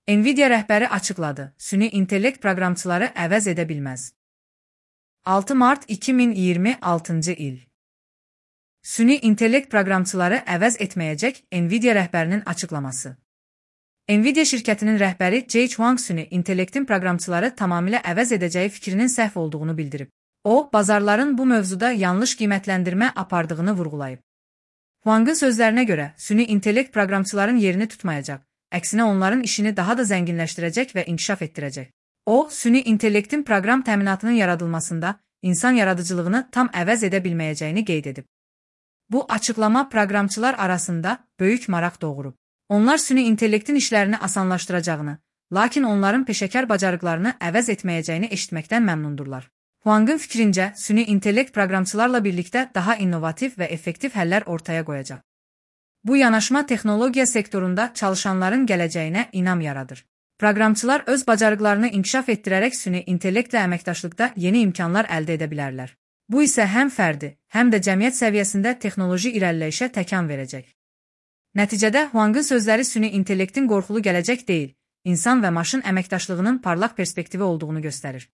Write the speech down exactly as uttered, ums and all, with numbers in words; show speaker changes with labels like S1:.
S1: Nvidia rəhbəri açıqladı, süni intellekt proqramçıları əvəz edə bilməz. altı mart iki min iyirmi altıncı il. Süni intellekt proqramçıları əvəz etməyəcək Nvidia rəhbərinin açıqlaması. Nvidia şirkətinin rəhbəri Jay Chuang süni intellektin proqramçıları tamamilə əvəz edəcəyi fikrinin səhv olduğunu bildirib. O, bazarların bu mövzuda yanlış qiymətləndirmə apardığını vurğulayıb. Huang'ın sözlərinə görə, süni intellekt proqramçıların yerini tutmayacaq, əksinə onların işini daha da zənginləşdirəcək və inkişaf etdirəcək. O, süni intellektin proqram təminatının yaradılmasında insan yaradıcılığını tam əvəz edə bilməyəcəyini qeyd edib. Bu açıqlama proqramçılar arasında böyük maraq doğurub. Onlar süni intellektin işlərini asanlaşdıracağını, lakin onların peşəkar bacarıqlarını əvəz etməyəcəyini eşitməkdən məmnundurlar. Huang'ın fikrincə, süni intellekt proqramçılarla birlikdə daha innovativ və effektiv həllər ortaya qoyacaq. Bu yanaşma texnologiya sektorunda çalışanların gələcəyinə inam yaradır. Proqramçılar öz bacarıqlarını inkişaf etdirərək süni intellektlə əməkdaşlıqda yeni imkanlar əldə edə bilərlər. Bu isə həm fərdi, həm də cəmiyyət səviyyəsində texnoloji irəliləyişə təkan verəcək. Nəticədə Huang'ın sözləri süni intellektin qorxulu gələcək deyil, insan və maşın əməkdaşlığının parlaq perspektivi olduğunu göstərir.